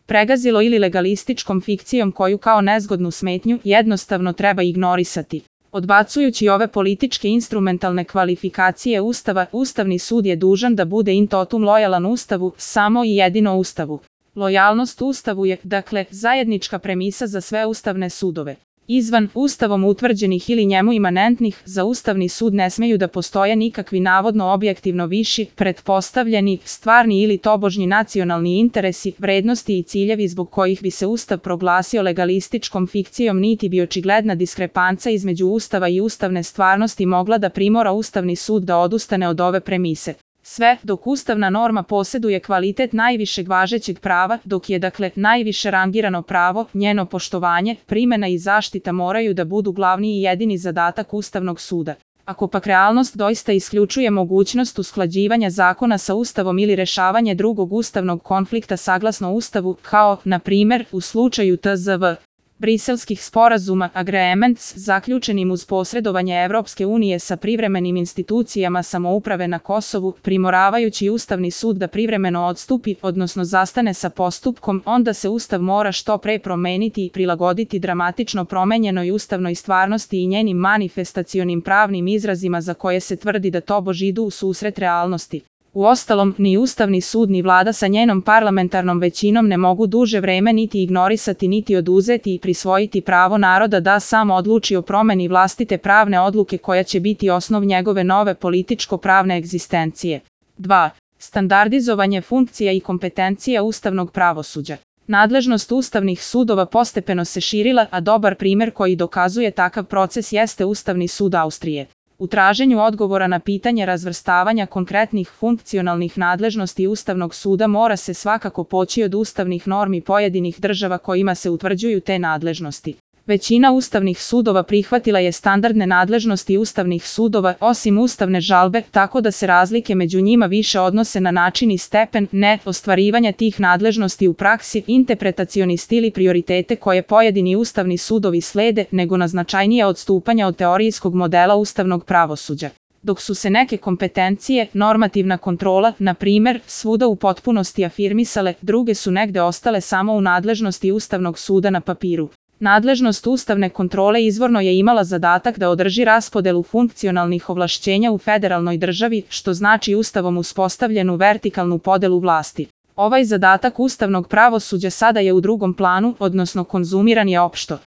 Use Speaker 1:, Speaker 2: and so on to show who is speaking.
Speaker 1: pregazilo ili legalističkom fikcijom koju kao nezgodnu smetnju jednostavno treba ignorisati. Odbacujući ove političke instrumentalne kvalifikacije Ustava, Ustavni sud je dužan da bude in totum lojalan Ustavu, samo i jedino Ustavu. Lojalnost Ustavu je, dakle, zajednička premisa za sve ustavne sudove. Izvan Ustavom utvrđenih ili njemu imanentnih, za Ustavni sud ne smeju da postoje nikakvi navodno objektivno viši, pretpostavljeni, stvarni ili tobožnji nacionalni interesi, vrednosti i ciljevi zbog kojih bi se Ustav proglasio legalističkom fikcijom, niti bi očigledna diskrepanca između Ustava i ustavne stvarnosti mogla da primora Ustavni sud da odustane od ove premise. Sve dok ustavna norma posjeduje kvalitet najvišeg važećeg prava, dok je dakle najviše rangirano pravo, njeno poštovanje, primena i zaštita moraju da budu glavni i jedini zadatak Ustavnog suda. Ako pak realnost doista isključuje mogućnost usklađivanja zakona sa Ustavom ili rešavanje drugog ustavnog konflikta saglasno Ustavu, kao, na primer, u slučaju tzv. Briselskih sporazuma, agreements, zaključenim uz posredovanje Evropske unije sa privremenim institucijama samouprave na Kosovu, primoravajući Ustavni sud da privremeno odstupi, odnosno zastane sa postupkom, onda se Ustav mora što pre promeniti i prilagoditi dramatično promenjenoj ustavnoj stvarnosti i njenim manifestacionim pravnim izrazima za koje se tvrdi da tobož idu u susret realnosti. Uostalom, ni Ustavni sud ni vlada sa njenom parlamentarnom većinom ne mogu duže vreme niti ignorisati niti oduzeti i prisvojiti pravo naroda da sam odluči o promeni vlastite pravne odluke koja će biti osnov njegove nove političko-pravne egzistencije. 2. Standardizovanje funkcija i kompetencija ustavnog pravosuđa. Nadležnost ustavnih sudova postepeno se širila, a dobar primer koji dokazuje takav proces jeste Ustavni sud Austrije. U traženju odgovora na pitanje razvrstavanja konkretnih funkcionalnih nadležnosti Ustavnog suda mora se svakako poći od ustavnih normi pojedinih država kojima se utvrđuju te nadležnosti. Većina ustavnih sudova prihvatila je standardne nadležnosti ustavnih sudova, osim ustavne žalbe, tako da se razlike među njima više odnose na način i stepen ostvarivanja tih nadležnosti u praksi, interpretacioni stil i prioritete koje pojedini ustavni sudovi slede, nego na značajnije odstupanja od teorijskog modela ustavnog pravosuđa. Dok su se neke kompetencije, normativna kontrola, na primer, svuda u potpunosti afirmisale, druge su negde ostale samo u nadležnosti Ustavnog suda na papiru. Nadležnost ustavne kontrole izvorno je imala zadatak da održi raspodelu funkcionalnih ovlašćenja u federalnoj državi, što znači Ustavom uspostavljenu vertikalnu podelu vlasti. Ovaj zadatak ustavnog pravosuđa sada je u drugom planu, odnosno konzumiran je opšto.